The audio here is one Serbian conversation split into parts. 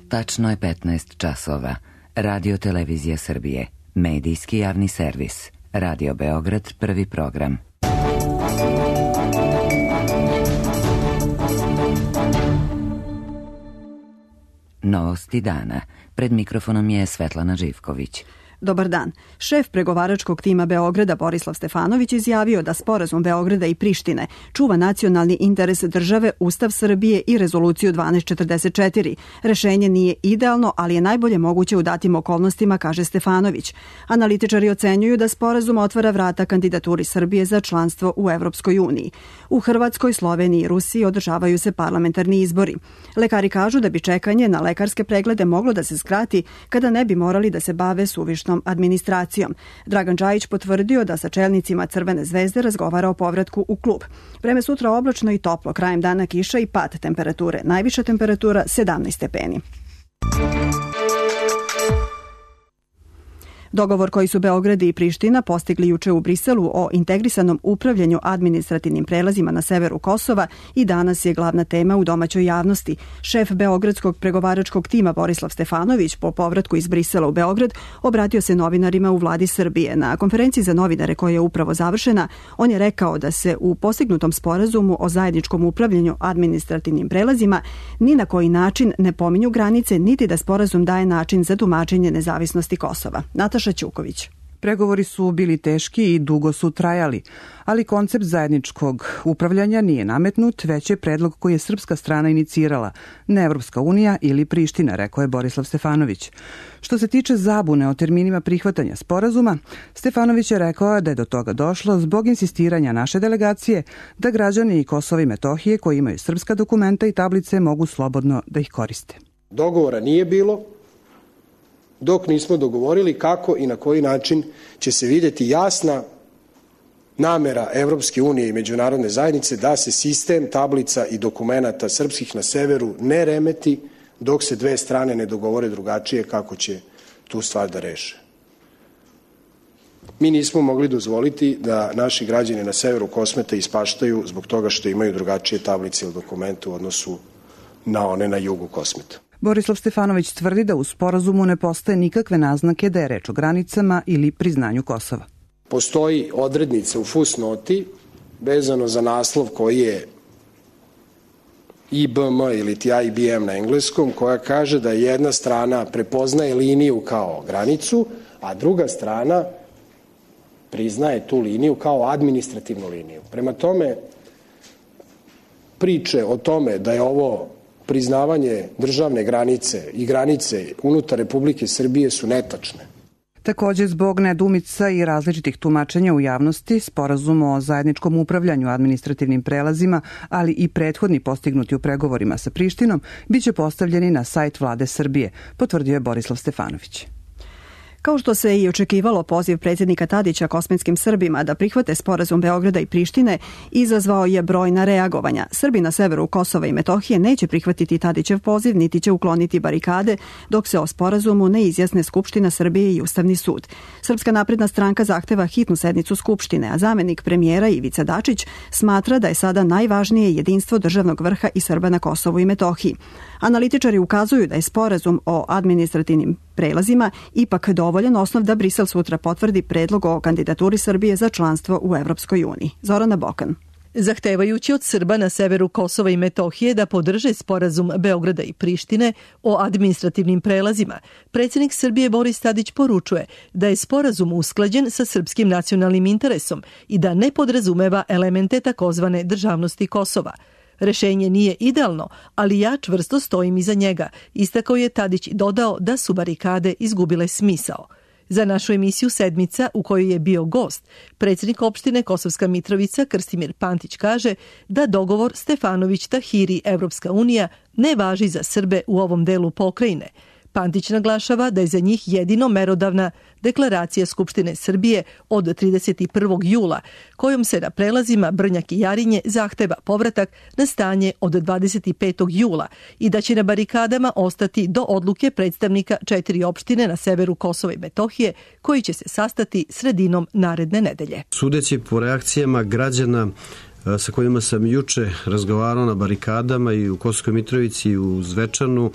Tačno je 15 časova. Radio Televizija Srbije. Medijski javni servis. Radio Beograd, prvi program. Novosti dana. Pred mikrofonom je Svetlana Živković. Dobar dan. Šef pregovaračkog tima Beograda Borislav Stefanović izjavio da sporazum Beograda i Prištine čuva nacionalni interes države, Ustav Srbije i Rezoluciju 1244. Rešenje nije idealno, ali je najbolje moguće u datim okolnostima, kaže Stefanović. Analitičari ocenjuju da sporazum otvara vrata kandidaturi Srbije za članstvo u Evropskoj uniji. U Hrvatskoj, Sloveniji i Rusiji održavaju se parlamentarni izbori. Lekari kažu da bi čekanje na lekarske preglede moglo da se skrati kada ne bi morali da se bave suvišnom administracijom. Dragan Đajić potvrdio da sa čelnicima Crvene zvezde razgovara o povratku u klub. Vreme sutra oblačno i toplo, krajem dana kiša i pad temperature. Najviša temperatura 17 stepeni. Dogovor koji su Beograd i Priština postigli juče u Briselu o integrisanom upravljanju administrativnim prelazima na severu Kosova i danas je glavna tema u domaćoj javnosti. Šef beogradskog pregovaračkog tima Borislav Stefanović po povratku iz Brisela u Beograd obratio se novinarima u vladi Srbije. Na konferenciji za novinare koja je upravo završena, on je rekao da se u postignutom sporazumu o zajedničkom upravljanju administrativnim prelazima ni na koji način ne pominju granice, niti da sporazum daje način za tumačenje nezavisnosti Kosova. Nataša Ćuković. Pregovori su bili teški i dugo su trajali, ali koncept zajedničkog upravljanja nije nametnut, već je predlog koji je srpska strana inicirala, ne Evropska unija ili Priština, rekao je Borislav Stefanović. Što se tiče zabune o terminima prihvatanja sporazuma, Stefanović je rekao da je do toga došlo zbog insistiranja naše delegacije da građani Kosova i Metohije koji imaju srpska dokumenta i tablice mogu slobodno da ih koriste. Dogovora nije bilo dok nismo dogovorili kako i na koji način će se vidjeti jasna namera Evropske unije i međunarodne zajednice da se sistem tablica i dokumenata srpskih na severu ne remeti dok se dve strane ne dogovore drugačije kako će tu stvar da reše. Mi nismo mogli dozvoliti da naši građani na severu Kosmeta ispaštaju zbog toga što imaju drugačije tablice ili dokumente u odnosu na one na jugu Kosmeta. Borislav Stefanović tvrdi da u sporazumu ne postoje nikakve naznake da je reč o granicama ili priznanju Kosova. Postoji odrednica u fusnoti vezano za naslov koji je IBM ili ti IBM na engleskom, koja kaže da jedna strana prepoznaje liniju kao granicu, a druga strana priznaje tu liniju kao administrativnu liniju. Prema tome, priče o tome da je ovo priznavanje državne granice i granice unutar Republike Srbije su netačne. Također, zbog nedoumica i različitih tumačenja u javnosti, sporazum o zajedničkom upravljanju administrativnim prelazima, ali i prethodni postignuti u pregovorima sa Prištinom, biće postavljeni na sajt vlade Srbije, potvrdio je Borislav Stefanović. Kao što se i očekivalo, poziv predsjednika Tadića kosmetskim Srbima da prihvate sporazum Beograda i Prištine izazvao je brojna reagovanja. Srbi na severu Kosova i Metohije neće prihvatiti Tadićev poziv, niti će ukloniti barikade, dok se o sporazumu ne izjasne Skupština Srbije i Ustavni sud. Srpska napredna stranka zahteva hitnu sednicu Skupštine, a zamenik premijera Ivica Dačić smatra da je sada najvažnije jedinstvo državnog vrha i Srba na Kosovu i Metohiji. Analitičari ukazuju da je sporazum o administrativnim prelazima ipak dovoljan osnov da Brisel sutra potvrdi predlog o kandidaturi Srbije za članstvo u Evropskoj uniji. Zorana Bokan. Zahtevajući od Srba na severu Kosova i Metohije da podrže sporazum Beograda i Prištine o administrativnim prelazima, predsjednik Srbije Boris Tadić poručuje da je sporazum usklađen sa srpskim nacionalnim interesom i da ne podrazumeva elemente takozvane državnosti Kosova. Rešenje nije idealno, ali ja čvrsto stojim iza njega, istakao je Tadić i dodao da su barikade izgubile smisao. Za našu emisiju Sedmica, u kojoj je bio gost, predsjednik opštine Kosovska Mitrovica Krstimir Pantić kaže da dogovor Stefanović-Tahiri Evropska unija ne važi za Srbe u ovom delu pokrajine. Pantić naglašava da je za njih jedino merodavna deklaracija Skupštine Srbije od 31. jula, kojom se na prelazima Brnjak i Jarinje zahteva povratak na stanje od 25. jula i da će na barikadama ostati do odluke predstavnika 4 opštine na severu Kosova i Metohije, koji će se sastati sredinom naredne nedelje. Sudeći po reakcijama građana sa kojima sam juče razgovarao na barikadama i u Kosovskoj Mitrovici i u Zvečanu,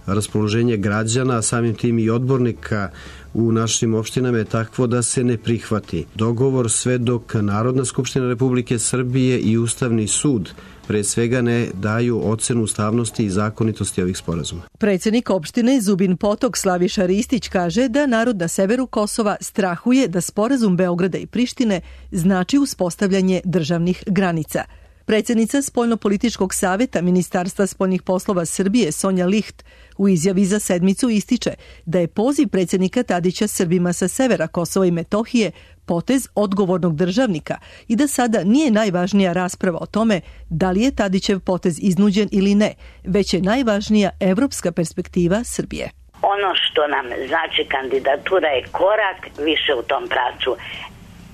raspoloženje građana, a samim tim i odbornika u našim opštinama je takvo da se ne prihvati dogovor sve dok Narodna skupština Republike Srbije i Ustavni sud pre svega ne daju ocenu ustavnosti i zakonitosti ovih sporazuma. Predsednik opštine Zubin Potok Slaviša Ristić kaže da narod na severu Kosova strahuje da sporazum Beograda i Prištine znači uspostavljanje državnih granica. Predsednica Spoljnopolitičkog saveta Ministarstva spoljnih poslova Srbije Sonja Licht u izjavi za sedmicu ističe da je poziv predsednika Tadića Srbima sa severa Kosova i Metohije potez odgovornog državnika i da sada nije najvažnija rasprava o tome da li je Tadićev potez iznuđen ili ne, već je najvažnija evropska perspektiva Srbije. Ono što nam znači kandidatura je korak više u tom pravcu.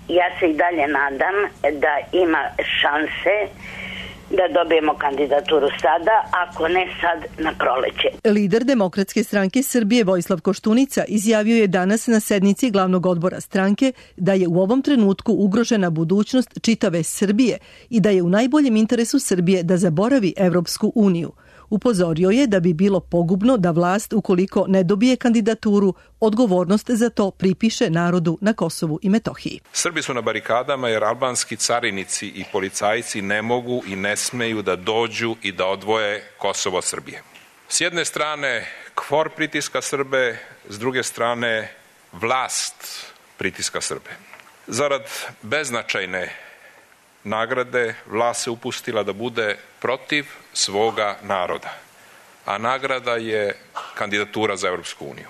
Ja se i dalje nadam da ima šanse da dobijemo kandidaturu sada, ako ne sad na proleće. Lider Demokratske stranke Srbije Vojislav Koštunica izjavio je danas na sednici glavnog odbora stranke da je u ovom trenutku ugrožena budućnost čitave Srbije i da je u najboljem interesu Srbije da zaboravi Evropsku uniju. Upozorio je da bi bilo pogubno da vlast, ukoliko ne dobije kandidaturu, odgovornost za to pripiše narodu na Kosovu i Metohiji. Srbi su na barikadama jer albanski carinici i policajci ne mogu i ne smeju da dođu i da odvoje Kosovo od Srbije. S jedne strane KFOR pritiska Srbe, s druge strane vlast pritiska Srbe. Zarad beznačajne nagrade vlast se upustila da bude protiv svoga naroda, a nagrada je kandidatura za Evropsku uniju.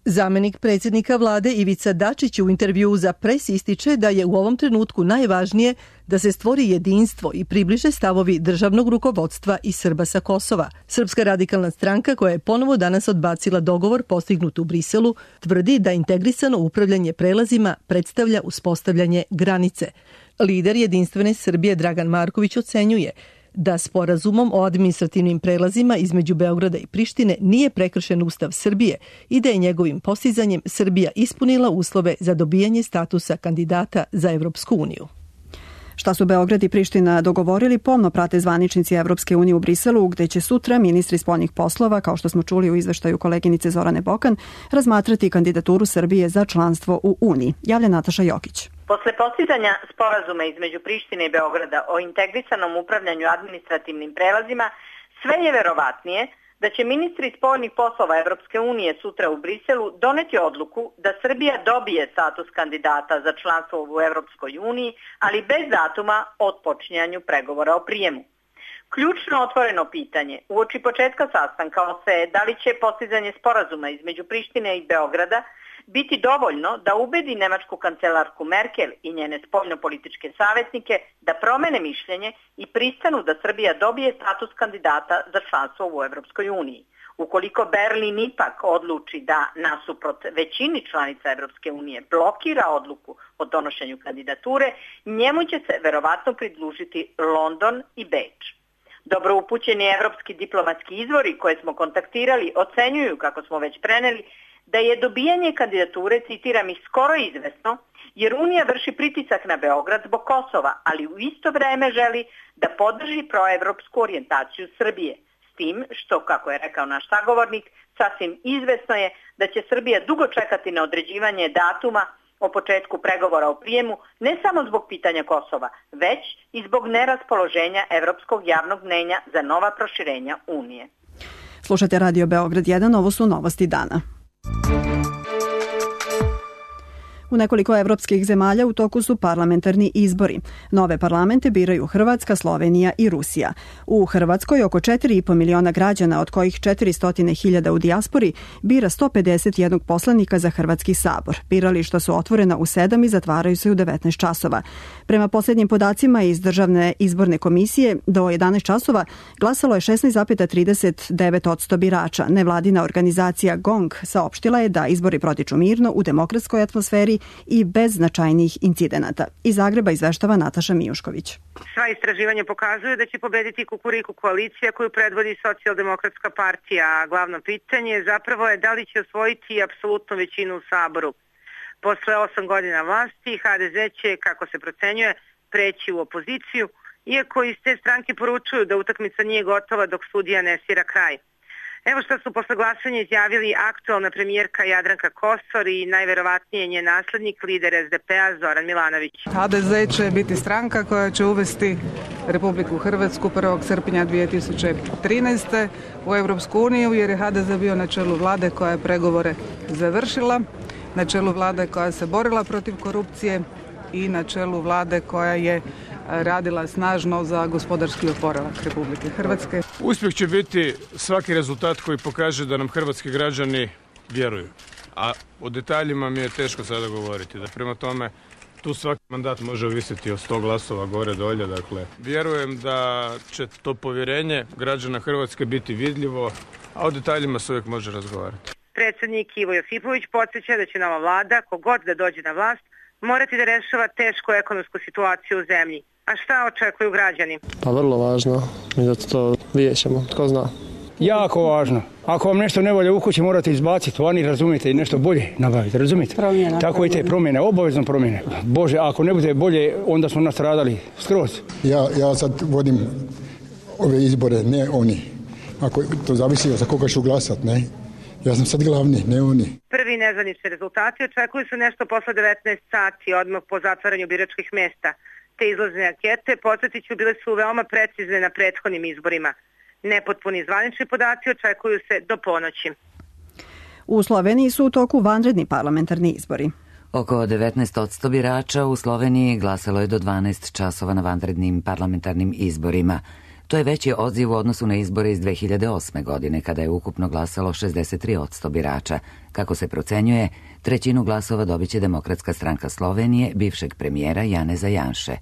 Zamenik predsjednika vlade Ivica Dačić u intervjuu za Pres ističe da je u ovom trenutku najvažnije da se stvori jedinstvo i približe stavovi državnog rukovodstva i Srba sa Kosova. Srpska radikalna stranka, koja je ponovo danas odbacila dogovor postignut u Briselu, tvrdi da integrisano upravljanje prelazima predstavlja uspostavljanje granice. Lider Jedinstvene Srbije Dragan Marković ocenjuje da sporazumom o administrativnim prelazima između Beograda i Prištine nije prekršen Ustav Srbije i da je njegovim postizanjem Srbija ispunila uslove za dobijanje statusa kandidata za Evropsku uniju. Šta su Beograd i Priština dogovorili, pomno prate zvaničnici Evropske unije u Briselu, gde će sutra ministri spoljnih poslova, kao što smo čuli u izveštaju koleginice Zorane Bokan, razmatrati kandidaturu Srbije za članstvo u Uniji. Javlja Nataša Jokić. Posle postizanja sporazuma između Prištine i Beograda o integrisanom upravljanju administrativnim prelazima, sve je verovatnije da će ministri spoljnih poslova Evropske unije sutra u Briselu doneti odluku da Srbija dobije status kandidata za članstvo u Evropskoj uniji, ali bez datuma o otpočinjanju pregovora o prijemu. Ključno otvoreno pitanje uoči početka sastanka ostaje da li će postizanje sporazuma između Prištine i Beograda biti dovoljno da ubedi nemačku kancelarku Merkel i njene spoljnopolitičke savjetnike da promene mišljenje i pristanu da Srbija dobije status kandidata za članstvo u Evropskoj uniji. Ukoliko Berlin ipak odluči da nasuprot većini članica Evropske unije blokira odluku o donošenju kandidature, njemu će se verovatno pridružiti London i Beč. Dobro upućeni evropski diplomatski izvori koje smo kontaktirali ocenjuju, kako smo već preneli, da je dobijanje kandidature, citiram ih, skoro izvesno, jer Unija vrši pritisak na Beograd zbog Kosova, ali u isto vreme želi da podrži proevropsku orijentaciju Srbije. S tim što, kako je rekao naš sagovornik, sasvim izvesno je da će Srbija dugo čekati na određivanje datuma o početku pregovora o prijemu, ne samo zbog pitanja Kosova, već i zbog neraspoloženja evropskog javnog mnenja za nova proširenja Unije. Slušate Radio Beograd 1, ovo su novosti dana. U nekoliko evropskih zemalja u toku su parlamentarni izbori. Nove parlamente biraju Hrvatska, Slovenija i Rusija. U Hrvatskoj oko 4,5 miliona građana, od kojih 400.000 u dijaspori, bira 151 poslanika za Hrvatski sabor. Birališta su otvorena u 7 i zatvaraju se u 19 časova. Prema posljednjim podacima iz Državne izborne komisije, do 11 časova glasalo je 16,39% birača. Nevladina organizacija GONG saopštila je da izbori protiču mirno u demokratskoj atmosferi i bez značajnih incidenata. Iz Zagreba izveštava Nataša Mijušković. Sva istraživanja pokazuju da će pobediti Kukuriku koalicija koju predvodi Socijaldemokratska partija. Glavno pitanje zapravo je da li će osvojiti apsolutnu većinu u Saboru. Posle 8 godina vlasti HDZ će, kako se procenjuje, preći u opoziciju, iako iz te stranke poručuju da utakmica nije gotova dok sudija ne svira kraj. Evo što su posle glasanja izjavili aktualna premijerka Jadranka Kosor i najverovatnije njen naslednik, lider SDP-a Zoran Milanović. HDZ će biti stranka koja će uvesti Republiku Hrvatsku 1. srpnja 2013. u Europsku uniju, jer je HDZ bio na čelu vlade koja je pregovore završila, na čelu vlade koja se borila protiv korupcije i na čelu vlade koja je radila snažno za gospodarski oporavak Republike Hrvatske. Uspjeh će biti svaki rezultat koji pokaže da nam hrvatski građani vjeruju. A o detaljima mi je teško sada govoriti. Da prema tome, tu svaki mandat može ovisiti od 100 glasova gore dolje. Dakle, vjerujem da će to povjerenje građana Hrvatske biti vidljivo, a o detaljima se uvijek može razgovarati. Predsjednik Ivo Josipović podsjeća da će nova vlada, kogod da dođe na vlast, morati da rešava tešku ekonomsku situaciju u zemlji. A šta očekuju građani? Pa vrlo važno i da to vidjet ćemo, tko zna. Jako važno. Ako vam nešto ne volje u kući, morate izbaciti vani, razumijete, i nešto bolje nabaviti, razumijete? Promjena. Tako i te promjene, obavezno promjene. Bože, ako ne bude bolje, onda smo nastradali skroz. Ja sad vodim ove izbore, ne oni. Ako to zavisi za koga ću glasat, ne? Ja sam sad glavni, ne oni. Prvi nezvanični rezultati očekuju se nešto posle 19 sati, odmah po zatvaranju biračkih mesta. Te izlazne ankete, podsjetiću, bile su veoma precizne na prethodnim izborima. Nepotpuni zvanični podaci očekuju se do ponoći. U Sloveniji su u toku vanredni parlamentarni izbori. Oko 19% birača u Sloveniji glasalo je do 12 časova na vanrednim parlamentarnim izborima. To je veći odziv u odnosu na izbore iz 2008. godine, kada je ukupno glasalo 63% birača. Kako se procenjuje, trećinu glasova dobiće Demokratska stranka Slovenije, bivšeg premijera Janeza Janše.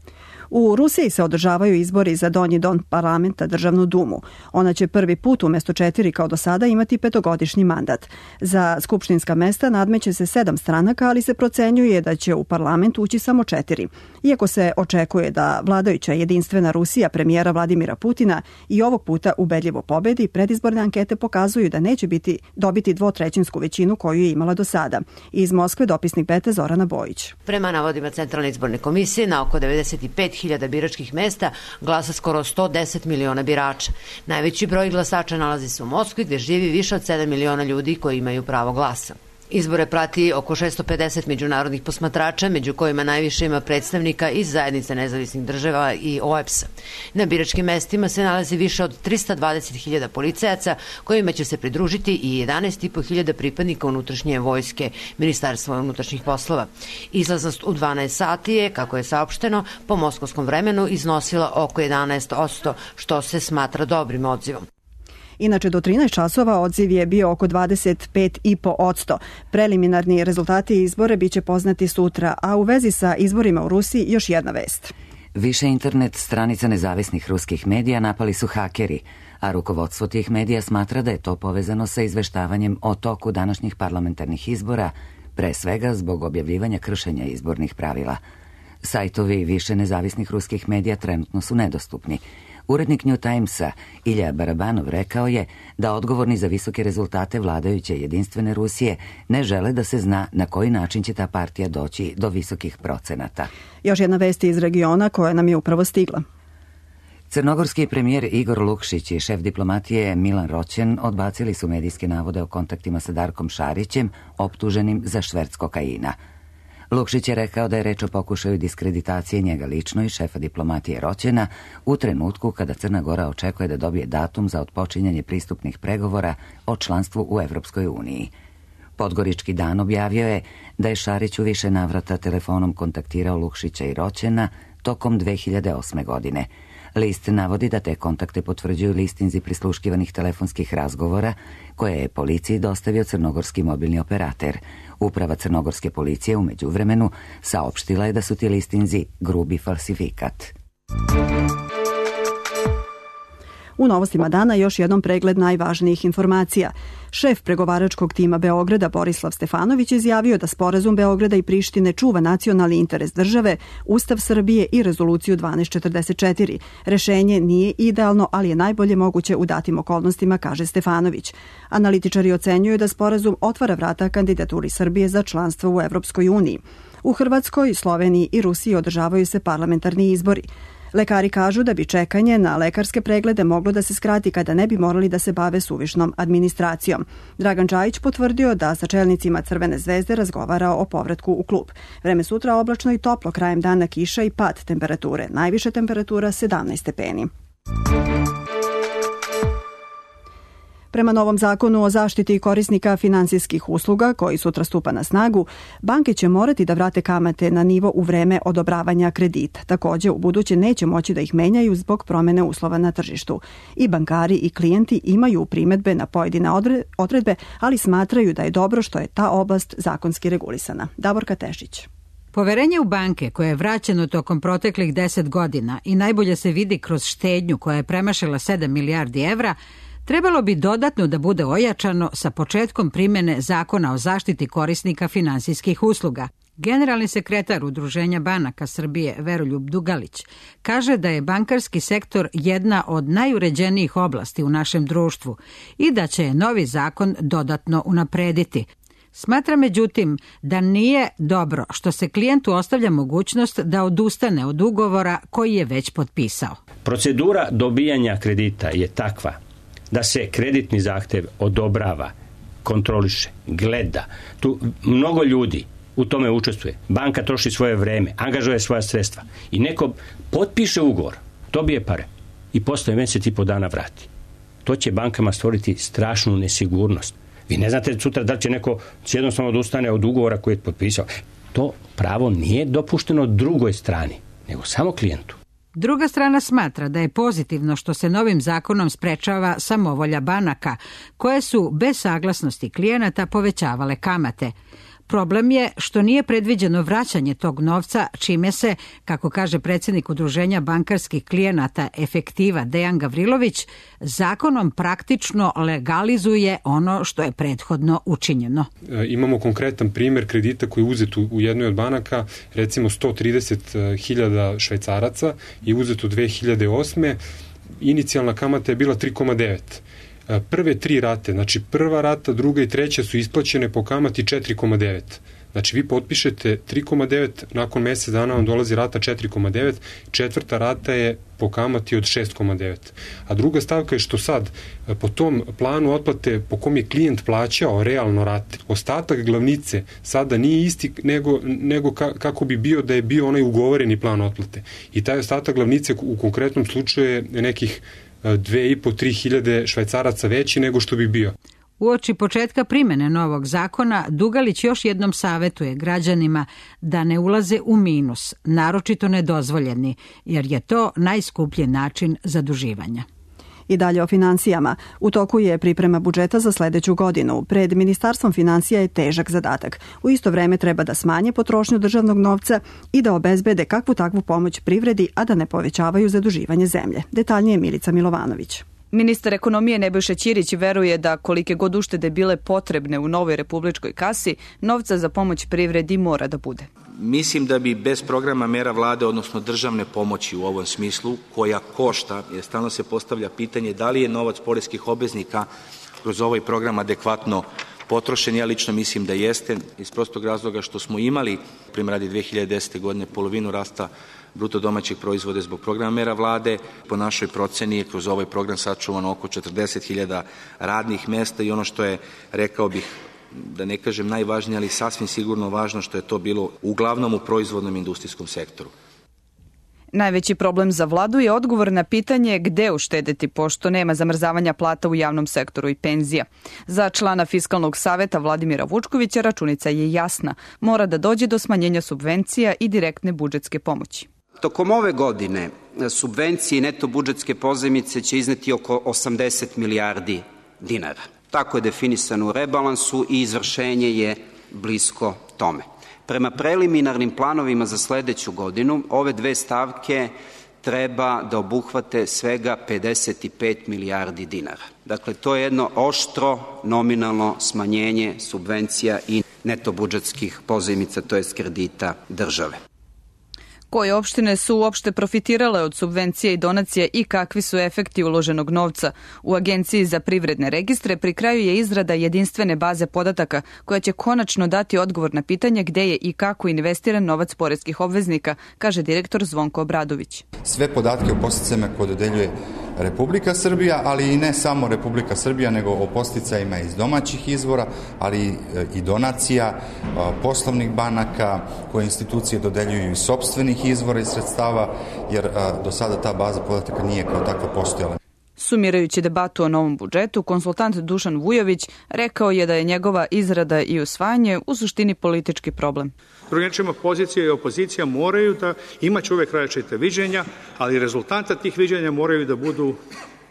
U Rusiji se održavaju izbori za donji dom parlamenta, Državnu dumu. Ona će prvi put umjesto 4 kao do sada imati 5-godišnji mandat. Za skupštinska mesta nadmeće se 7 stranaka, ali se procenjuje da će u parlament ući samo 4. Iako se očekuje da vladajuća jedinstvena Rusija premijera Vladimira Putina i ovog puta ubedljivo pobedi, predizborne ankete pokazuju da neće dobiti 2/3 većinu koju je imala do sada. Iz Moskve dopisnik Beta Zorana Bojić. Prema navodima Centralne izborne komisije, na oko 95.000 biračkih mesta glasa skoro 110 miliona birača. Najveći broj glasača nalazi se u Moskvi, gdje živi više od 7 miliona ljudi koji imaju pravo glasa. Izbore prati oko 650 međunarodnih posmatrača, među kojima najviše ima predstavnika iz Zajednice nezavisnih država i OEBS-a. Na biračkim mestima se nalazi više od 320.000 policajaca, kojima će se pridružiti i 11.500 pripadnika unutrašnje vojske Ministarstva unutrašnjih poslova. Izlaznost u 12 sati je, kako je saopšteno, po moskovskom vremenu iznosila oko 11%, što se smatra dobrim odzivom. Inače, do 13 časova odziv je bio oko 25,5%. Preliminarni rezultati izbora biće poznati sutra, a u vezi sa izborima u Rusiji još jedna vest. Više internet stranica nezavisnih ruskih medija napali su hakeri, a rukovodstvo tih medija smatra da je to povezano sa izveštavanjem o toku današnjih parlamentarnih izbora, pre svega zbog objavljivanja kršenja izbornih pravila. Sajtovi više nezavisnih ruskih medija trenutno su nedostupni. Urednik New Timesa Ilja Barabanov rekao je da odgovorni za visoke rezultate vladajuće jedinstvene Rusije ne žele da se zna na koji način će ta partija doći do visokih procenata. Još jedna vest iz regiona koja nam je upravo stigla. Crnogorski premijer Igor Lukšić i šef diplomatije Milan Roćen odbacili su medijske navode o kontaktima sa Darkom Šarićem, optuženim za šverc kokaina. Lukšić je rekao da je reč o pokušaju diskreditacije njega lično i šefa diplomatije Roćena u trenutku kada Crna Gora očekuje da dobije datum za otpočinjanje pristupnih pregovora o članstvu u Evropskoj uniji. Podgorički dan objavio je da je Šarić u više navrata telefonom kontaktirao Lukšića i Roćena tokom 2008. godine. List navodi da te kontakte potvrđuju listinzi prisluškivanih telefonskih razgovora koje je policiji dostavio crnogorski mobilni operater. Uprava crnogorske policije u međuvremenu saopštila je da su ti listinzi grubi falsifikat. U novostima dana još jednom pregled najvažnijih informacija. Šef pregovaračkog tima Beograda Borislav Stefanović izjavio da sporazum Beograda i Prištine čuva nacionalni interes države, Ustav Srbije i rezoluciju 1244. Rešenje nije idealno, ali je najbolje moguće u datim okolnostima, kaže Stefanović. Analitičari ocenjuju da sporazum otvara vrata kandidaturi Srbije za članstvo u Evropskoj uniji. U Hrvatskoj, Sloveniji i Rusiji održavaju se parlamentarni izbori. Lekari kažu da bi čekanje na lekarske preglede moglo da se skrati kada ne bi morali da se bave suvišnom administracijom. Dragan Čajić potvrdio da sa čelnicima Crvene zvezde razgovara o povratku u klub. Vreme sutra oblačno i toplo, krajem dana kiša i pad temperature. Najviša temperatura 17 stepeni. Prema novom zakonu o zaštiti korisnika finansijskih usluga, koji sutra stupa na snagu, banke će morati da vrate kamate na nivo u vreme odobravanja kredita. Takođe, u buduće neće moći da ih menjaju zbog promene uslova na tržištu. I bankari i klijenti imaju primedbe na pojedine odredbe, ali smatraju da je dobro što je ta oblast zakonski regulisana. Davorka Tešić. Poverenje u banke koje je vraćeno tokom proteklih 10 godina i najbolje se vidi kroz štednju koja je premašila 7 milijardi evra, trebalo bi dodatno da bude ojačano sa početkom primene Zakona o zaštiti korisnika finansijskih usluga. Generalni sekretar Udruženja banaka Srbije Veroljub Dugalić kaže da je bankarski sektor jedna od najuređenijih oblasti u našem društvu i da će novi zakon dodatno unaprediti. Smatra međutim da nije dobro što se klijentu ostavlja mogućnost da odustane od ugovora koji je već potpisao. Procedura dobijanja kredita je takva da se kreditni zahtev odobrava, kontroliše, gleda. Tu mnogo ljudi u tome učestvuje. Banka troši svoje vreme, angažuje svoja sredstva i neko potpiše ugovor, dobije pare i posle mesec i po dana vrati. To će bankama stvoriti strašnu nesigurnost. Vi ne znate sutra da će neko jednostavno odustane od ugovora koji je potpisao. To pravo nije dopušteno drugoj strani, nego samo klijentu. Druga strana smatra da je pozitivno što se novim zakonom sprečava samovolja banaka, koje su bez saglasnosti klijenata povećavale kamate. Problem je što nije predviđeno vraćanje tog novca, čime se, kako kaže predsjednik Udruženja bankarskih klijenata Efektiva Dejan Gavrilović, zakonom praktično legalizuje ono što je prethodno učinjeno. Imamo konkretan primjer kredita koji je uzet u jednoj od banaka, recimo 130.000 švajcaraca i uzet u 2008. Inicijalna kamata je bila 3,9. Prve 3 rate, znači prva rata, druga i treća su isplaćene po kamati 4,9. Znači vi potpišete 3,9, nakon mjesec dana vam dolazi rata 4,9, četvrta rata je po kamati od 6,9. A druga stavka je što sad po tom planu otplate po kom je klijent plaćao realno rate, ostatak glavnice sada nije isti nego kako bi bio da je bio onaj ugovoreni plan otplate. I taj ostatak glavnice u konkretnom slučaju je nekih 2,5-3 hiljade švajcaraca veći nego što bi bio. Uoči početka primene novog zakona, Dugalić još jednom savetuje građanima da ne ulaze u minus, naročito nedozvoljeni, jer je to najskuplji način zaduživanja. I dalje o finansijama. U toku je priprema budžeta za sledeću godinu. Pred Ministarstvom finansija je težak zadatak. U isto vreme treba da smanje potrošnju državnog novca i da obezbede kakvu takvu pomoć privredi, a da ne povećavaju zaduživanje zemlje. Detaljnije Milica Milovanović. Ministar ekonomije Nebojša Ćirić veruje da kolike god uštede bile potrebne u novoj republičkoj kasi, novca za pomoć privredi mora da bude. Mislim da bi bez programa mera vlade, odnosno državne pomoći u ovom smislu, koja košta, jer stalno se postavlja pitanje da li je novac poreskih obveznika kroz ovaj program adekvatno potrošen. Ja lično mislim da jeste, iz prostog razloga što smo imali, primjer radi 2010. godine, polovinu rasta bruto domaćeg proizvoda zbog programa mera vlade. Po našoj proceni je kroz ovaj program sačuvano oko 40.000 radnih mesta i ono što je, rekao bih, da ne kažem najvažnije, ali sasvim sigurno važno što je to bilo uglavnom u proizvodnom industrijskom sektoru. Najveći problem za vladu je odgovor na pitanje gde uštedeti, pošto nema zamrzavanja plata u javnom sektoru i penzija. Za člana Fiskalnog saveta Vladimira Vučkovića računica je jasna. Mora da dođe do smanjenja subvencija i direktne budžetske pomoći. Tokom ove godine subvencije i neto budžetske pozajmice će izneti oko 80 milijardi dinara. Tako je definisano u rebalansu i izvršenje je blisko tome. Prema preliminarnim planovima za sledeću godinu, ove dve stavke treba da obuhvate svega 55 milijardi dinara. Dakle, to je jedno oštro nominalno smanjenje subvencija i neto budžetskih pozajmica, to jest kredita države. Koje opštine su uopšte profitirale od subvencija i donacija i kakvi su efekti uloženog novca? U Agenciji za privredne registre pri kraju je izrada jedinstvene baze podataka koja će konačno dati odgovor na pitanje gde je i kako investiran novac poreskih obveznika, kaže direktor Zvonko Obradović. Sve podatke o podsticajima koje dodeljuje Republika Srbija, ali i ne samo Republika Srbija, nego o podsticajima iz domaćih izvora, ali i donacija, poslovnih banaka, koje institucije dodeljuju iz sopstvenih izvora i sredstava, jer do sada ta baza podataka nije kao takva postojala. Sumirajući debatu o novom budžetu, konsultant Dušan Vujović rekao je da je njegova izrada i usvajanje u suštini politički problem. Drugim rečima, pozicija i opozicija moraju da imaće uvek različite viđenja, ali rezultanta tih viđenja moraju da budu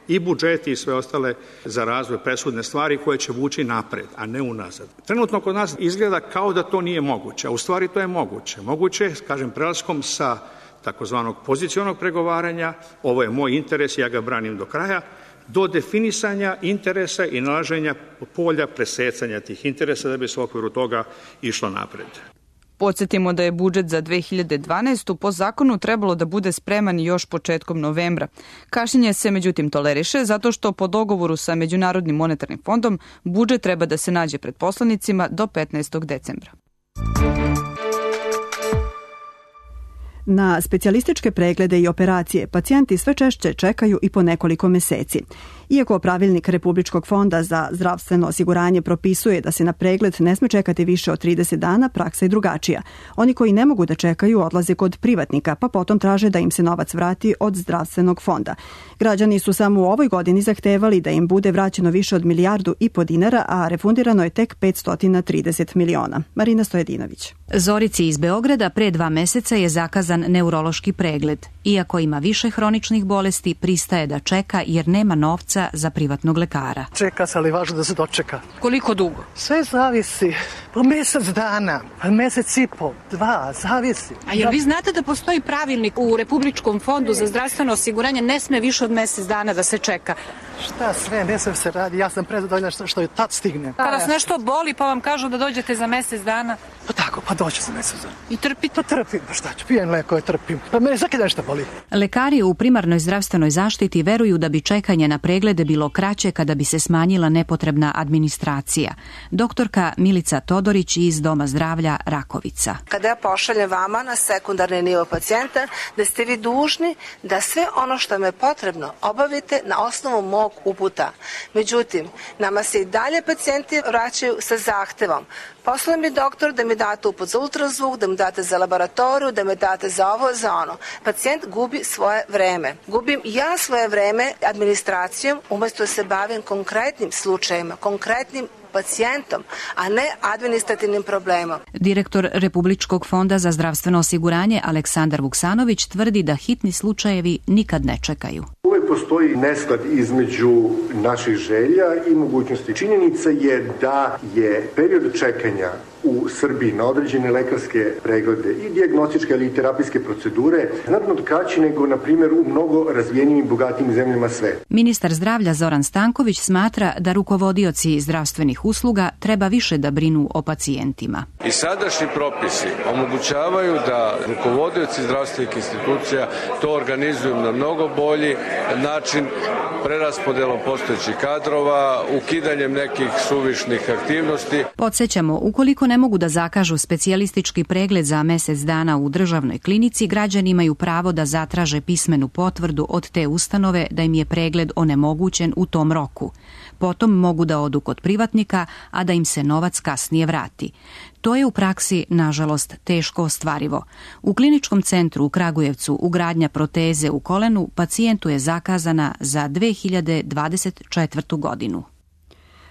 i budžeti i sve ostale za razvoj presudne stvari koje će vući napred, a ne unazad. Trenutno kod nas izgleda kao da to nije moguće, a u stvari to je moguće. Moguće je, kažem, prelaskom sa takozvanog pozicionog pregovaranja, ovo je moj interes, ja ga branim do kraja, do definisanja interesa i nalaženja polja presecanja tih interesa da bi se u okviru toga išlo napred. Podsjetimo da je budžet za 2012. po zakonu trebalo da bude spreman još početkom novembra. Kašnjenje se međutim toleriše zato što po dogovoru sa Međunarodnim monetarnim fondom budžet treba da se nađe pred poslanicima do 15. decembra. Na specijalističke preglede i operacije pacijenti sve češće čekaju i po nekoliko meseci. Iako pravilnik Republičkog fonda za zdravstveno osiguranje propisuje da se na pregled ne sme čekati više od 30 dana, praksa je drugačija. Oni koji ne mogu da čekaju odlaze kod privatnika, pa potom traže da im se novac vrati od zdravstvenog fonda. Građani su samo u ovoj godini zahtevali da im bude vraćeno više od 1,5 milijardu dinara, a refundirano je tek 530 miliona. Marina Stojedinović. Zorici iz Beograda pre 2 meseca je zakazan neurološki pregled. Iako ima više hroničnih bolesti, pristaje da čeka jer nema novca za privatnog lekara. Čeka se, ali važno da se dočeka. Koliko dugo? Sve zavisi. Po mesec dana, pa mesec i po, 2, zavisi. A jel vi znate da postoji pravilnik u Republičkom fondu za zdravstveno osiguranje, ne sme više od mesec dana da se čeka? Šta sve, ne sve se radi, ja sam prezadovoljna što je tad stigne. Kada vas nešto boli pa vam kažu da dođete za mesec dana? Pa tako, pa dođe za mesec dana. I trpite? Pa trpim, pa šta ću, pijem leko i trpim. Pa mene svaki dan šta boli. Lekari u primarnoj zdravstvenoj zaštiti veruju da bi čekanje na preglede bilo kraće kada bi se smanjila nepotrebna administracija. Doktorka Milica Todorić iz Doma zdravlja Rakovica. Kada ja pošaljem vama na sekundarni nivo pacijenta, da ste vi dužni da sve ono što vam je potrebno obavite na osnovu mog uputa. Međutim, nama se i dalje pacijenti vraćaju sa zahtevom. Poslao mi doktor da mi date uput za ultrazvuk, da mi date za laboratoriju, da mi date za ovo, za ono. Pacijent gubi svoje vreme. Gubim ja svoje vreme administracijom umesto da se bavim konkretnim slučajima, konkretnim pacijentom, a ne administrativnim problemom. Direktor Republičkog fonda za zdravstveno osiguranje Aleksandar Vuksanović tvrdi da hitni slučajevi nikad ne čekaju. Uvijek postoji nesklad između naših želja i mogućnosti. Činjenica je da je period čekanja u Srbiji na određene lekarske preglede i dijagnostičke ali i terapijske procedure znatno kraći nego, na primjer, u mnogo razvijenim i bogatijim zemljama sveta. Ministar zdravlja Zoran Stanković smatra da rukovodioci zdravstvenih usluga treba više da brinu o pacijentima. I sadašnji propisi omogućavaju da rukovodioci zdravstvenih institucija to organizuju na mnogo bolji način, preraspodelom postojećih kadrova, ukidanjem nekih suvišnih aktivnosti. Podsjećamo, ukoliko ne mogu da zakažu specijalistički pregled za mesec dana u državnoj klinici, građani imaju pravo da zatraže pismenu potvrdu od te ustanove da im je pregled onemogućen u tom roku. Potom mogu da odu kod privatnika, a da im se novac kasnije vrati. To je u praksi, nažalost, teško ostvarivo. U kliničkom centru u Kragujevcu ugradnja proteze u kolenu pacijentu je zakazana za 2024. godinu.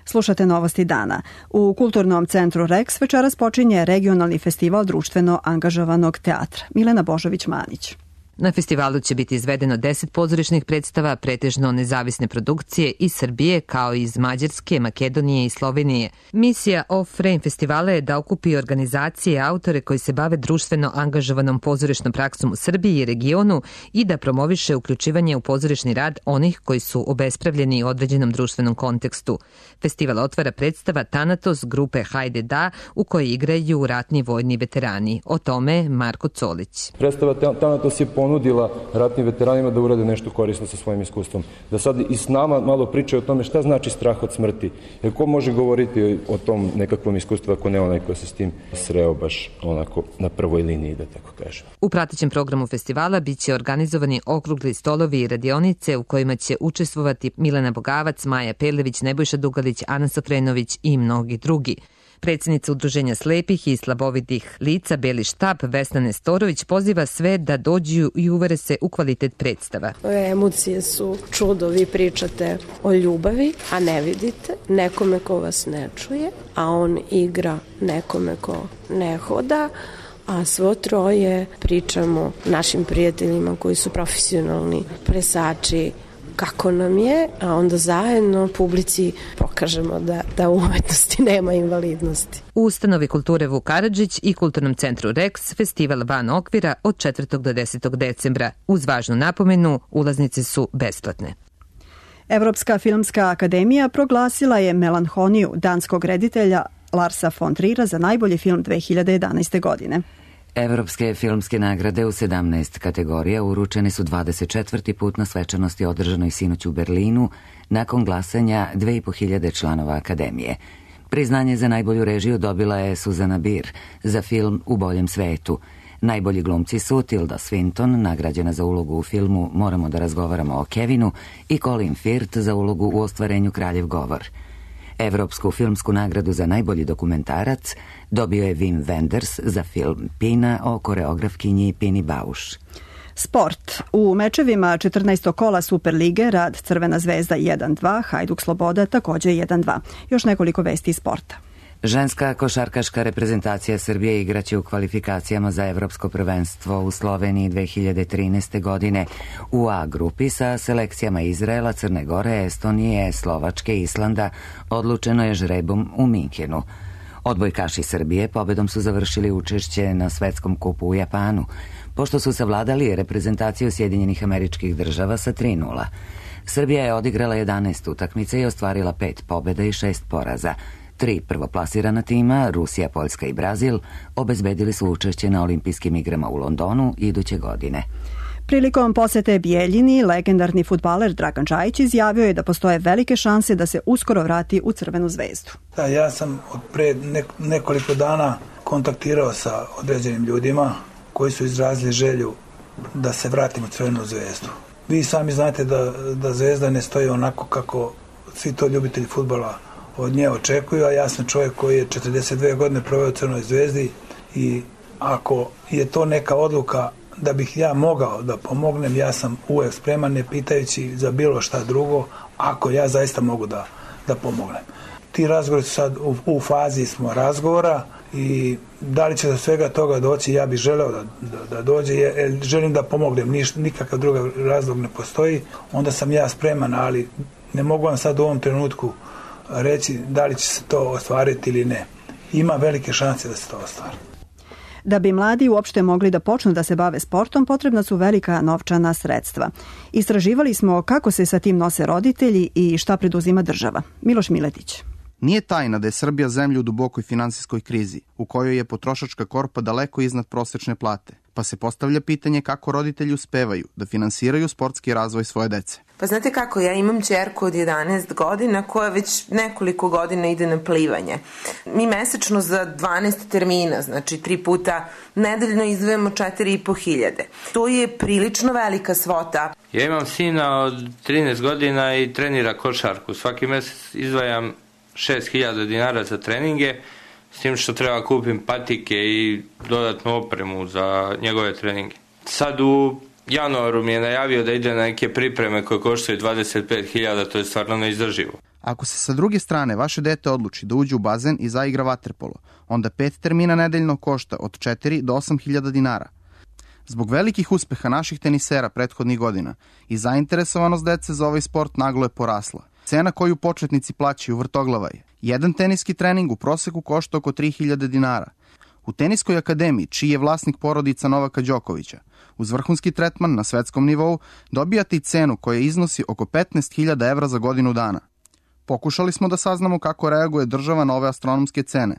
Slušate Novosti dana. U Kulturnom centru Rex večeras počinje regionalni festival društveno angažovanog teatra. Milena Božović-Manić. Na festivalu će biti izvedeno 10 pozorišnih predstava, pretežno nezavisne produkcije iz Srbije kao i iz Mađarske, Makedonije i Slovenije. Misija Off-Frame festivala je da okupi organizacije i autore koji se bave društveno angažovanom pozorišnom praksom u Srbiji i regionu i da promoviše uključivanje u pozorišni rad onih koji su obespravljeni u određenom društvenom kontekstu. Festival otvara predstava Tanatos grupe Hajde da, u kojoj igraju ratni vojni veterani. O tome Marko Colić. Predstava Tanatos je ponudila ratnim veteranima da urade nešto korisno sa svojim iskustvom. Da sad i s nama malo pričaju o tome šta znači strah od smrti. Jer ko može govoriti o tom nekakvom iskustvu ako ne onaj ko se s tim sreo baš onako na prvoj liniji, da tako kažem. U pratećem programu festivala biće organizovani okrugli stolovi i radionice u kojima će učestvovati Milena Bogavac, Maja Pelević, Nebojša Dugalić, Ana Sofrenović i mnogi drugi. Predsjednica Udruženja slepih i slabovidih lica Beli štab Vesna Nestorović poziva sve da dođu i uvere se u kvalitet predstava. Emocije su čudo, vi pričate o ljubavi, a ne vidite nekome ko vas ne čuje, a on igra nekome ko ne hoda, a svo troje pričamo našim prijateljima koji su profesionalni plesači kako nam je, a onda zajedno publici pokažemo da u umetnosti nema invalidnosti. U Ustanovi kulture Vuk Karadžić i Kulturnom centru Rex festival van okvira od 4. do 10. decembra. Uz važnu napomenu, ulaznice su besplatne. Evropska filmska akademija proglasila je Melanholiju danskog reditelja Larsa von Trira za najbolji film 2011. godine. Evropske filmske nagrade u 17 kategorija uručene su 24. put na svečanosti održanoj sinoć u Berlinu nakon glasanja 2500 članova akademije. Priznanje za najbolju režiju dobila je Suzana Bier za film U boljem svetu. Najbolji glumci su Tilda Swinton, nagrađena za ulogu u filmu Moramo da razgovaramo o Kevinu, i Colin Firth za ulogu u ostvarenju Kraljev govor. Evropsku filmsku nagradu za najbolji dokumentarac dobio je Wim Wenders za film Pina o koreografkinji Pini Bausch. Sport. U mečevima 14. kola Superlige Rad Crvena zvezda 1-2, Hajduk Sloboda također 1-2. Još nekoliko vesti iz sporta. Ženska košarkaška reprezentacija Srbije igraće u kvalifikacijama za Evropsko prvenstvo u Sloveniji 2013. godine u A grupi sa selekcijama Izraela, Crne Gore, Estonije, Slovačke, Islanda. Odlučeno je žrebom u Minhenu. Odbojkaši Srbije pobedom su završili učešće na svetskom kupu u Japanu, pošto su savladali reprezentaciju Sjedinjenih Američkih Država sa 3:0. Srbija je odigrala 11 utakmica i ostvarila 5 pobjeda i 6 poraza. 3 prvoplasirana tima, Rusija, Poljska i Brazil, obezbedili su učešće na olimpijskim igrama u Londonu iduće godine. Prilikom posete Bijeljini, legendarni fudbaler Dragan Čajić izjavio je da postoje velike šanse da se uskoro vrati u Crvenu zvezdu. Da, ja sam od pre nekoliko dana kontaktirao sa određenim ljudima koji su izrazili želju da se vratim u Crvenu zvezdu. Vi sami znate da zvezda ne stoji onako kako svi to ljubitelji fudbala od nje očekuju, a ja sam čovjek koji je 42 godine proveo u Crvenoj zvezdi i ako je to neka odluka da bih ja mogao da pomognem, ja sam uvijek spreman, ne pitajući za bilo šta drugo, ako ja zaista mogu da pomognem. Ti razgovori su sad u fazi smo razgovora i da li će do svega toga doći, ja bih želeo da dođe, jer želim da pomognem, nikakav drugi razlog ne postoji, onda sam ja spreman, ali ne mogu vam sad u ovom trenutku reći da li će se to ostvariti ili ne. Ima velike šanse da se to ostvari. Da bi mladi uopšte mogli da počnu da se bave sportom, potrebna su velika novčana sredstva. Istraživali smo kako se sa tim nose roditelji i šta preduzima država. Miloš Miletić. Nije tajna da je Srbija zemlja u dubokoj finansijskoj krizi, u kojoj je potrošačka korpa daleko iznad prosečne plate, pa se postavlja pitanje kako roditelji uspevaju da finansiraju sportski razvoj svoje dece. Pa znate kako, ja imam ćerku od 11 godina koja već nekoliko godina ide na plivanje. Mi mesečno za 12 termina, znači 3 puta nedeljno izdvajamo 4.500. To je prilično velika svota. Ja imam sina od 13 godina i trenira košarku. Svaki mesec izdvajam 6.000 dinara za treninge, s tim što treba kupim patike i dodatnu opremu za njegove treninge. Sad u januaru mi je najavio da ide na neke pripreme koje koštaju 25.000, to je stvarno neizdrživo. Ako se sa druge strane vaše dete odluči da uđe u bazen i zaigra vaterpolo, onda 5 termina nedeljno košta od 4 do 8.000 dinara. Zbog velikih uspeha naših tenisera prethodnih godina i zainteresovanost dece za ovaj sport naglo je porasla. Cena koju početnici plaćaju vrtoglava je. Jedan teniski trening u proseku košta oko 3000 dinara. U Teniskoj akademiji, čiji je vlasnik porodica Novaka Đokovića, uz vrhunski tretman na svetskom nivou dobijate i cenu koja iznosi oko 15.000 evra za godinu dana. Pokušali smo da saznamo kako reaguje država na ove astronomske cene.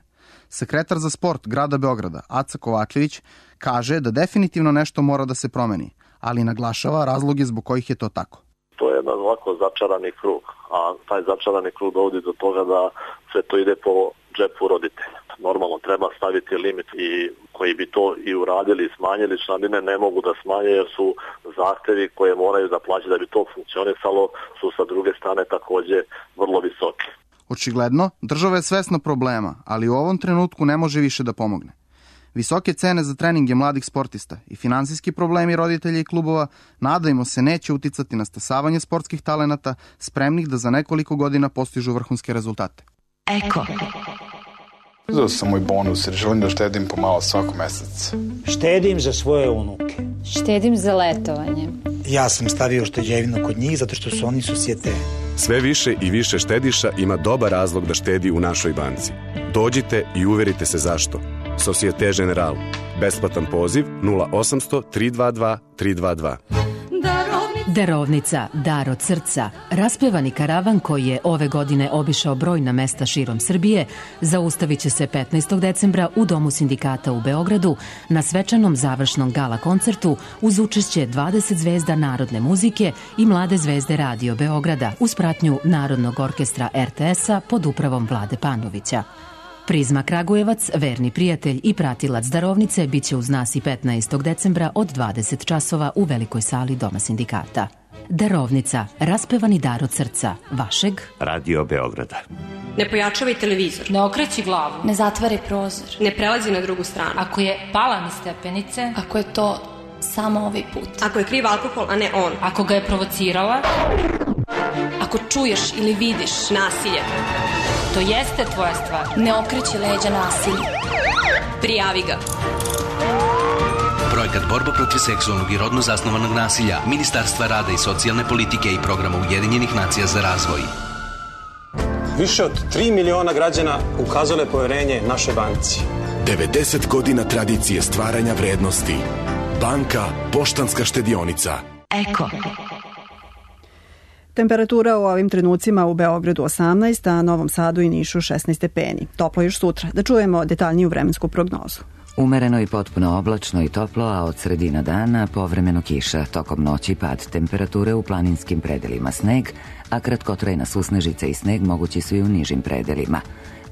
Sekretar za sport grada Beograda, Aca Kovačević, kaže da definitivno nešto mora da se promeni, ali naglašava razloge zbog kojih je to tako. To je jedan ovako začarani krug, a taj začarani krug dovodi do toga da sve to ide po džepu roditelja. Normalno treba staviti limit i koji bi to i uradili i smanjili članarine ne mogu da smanje jer su zahtevi koje moraju da plaćaju da bi to funkcionisalo su sa druge strane takođe vrlo visoki. Očigledno, država je svesna problema, ali u ovom trenutku ne može više da pomogne. Visoke cene za treninge mladih sportista i finansijski problemi roditelja i klubova, nadajmo se, neće uticati na stasavanje sportskih talenata spremnih da za nekoliko godina postižu vrhunske rezultate. Eko. Uzeo sam moj bonus jer želim da štedim pomalo svakog meseca. Štedim za svoje unuke. Štedim za letovanje. Ja sam stavio šteđevinu kod njih zato što su oni susjete. Sve više i više štediša ima dobar razlog da štedi u našoj banci. Dođite i uverite se zašto. Societe Generale. Besplatan poziv 0800 322 322. Darovnica, dar od srca. Raspevani karavan koji je ove godine obišao brojna mesta širom Srbije zaustavit će se 15. decembra u Domu sindikata u Beogradu na svečanom završnom gala koncertu uz učešće 20 zvezda narodne muzike i mlade zvezde Radio Beograda uz pratnju Narodnog orkestra RTS-a pod upravom Vlade Panovića. Prizma Kragujevac, verni prijatelj i pratilac darovnice, bit će uz nas i 15. decembra od 20 časova u velikoj sali Doma sindikata. Darovnica, raspevani dar od srca, vašeg Radio Beograda. Ne pojačavaj televizor. Ne okreći glavu. Ne zatvaraj prozor. Ne prelazi na drugu stranu. Ako je pala niz stepenice. Ako je to samo ovaj put. Ako je kriv alkohol, a ne on. Ako ga je provocirala. Ako čuješ ili vidiš nasilje. To jeste tvoja stvar. Ne okreći leđa nasilju. Prijavi ga. Projekat borba protiv seksualnog i rodno zasnovanog nasilja Ministarstva rada i socijalne politike i programa Ujedinjenih nacija za razvoj. Više od 3 miliona građana ukazalo je poverenje našoj banci. 90 godina tradicije stvaranja vrednosti. Banka Poštanska štedionica. Eko. Temperatura u ovim trenucima u Beogradu 18, a Novom Sadu i Nišu 16 stepeni. Toplo još sutra. Da čujemo detaljniju vremensku prognozu. Umereno i potpuno oblačno i toplo, a od sredina dana povremeno kiša. Tokom noći pad temperature u planinskim predelima sneg, a kratkotrajna susnežica i sneg mogući su i u nižim predelima.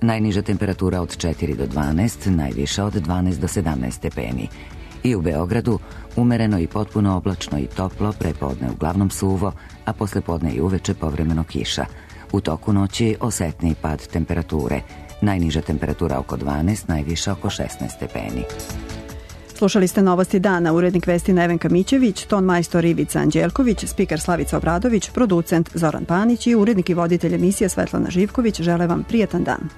Najniža temperatura od 4 do 12, najviša od 12 do 17 stepeni. I u Beogradu umereno i potpuno oblačno i toplo, prepodne uglavnom suvo, a poslepodne i uveče povremeno kiša. U toku noći osetniji pad temperature. Najniža temperatura oko 12, najviša oko 16 stepeni. Slušali ste Novosti dana, urednik vesti Nevenka Mićević, ton majstor Ivica Anđelković, spiker Slavica Obradović, producent Zoran Panić i urednik i voditelj emisije Svetlana Živković. Žele vam prijatan dan.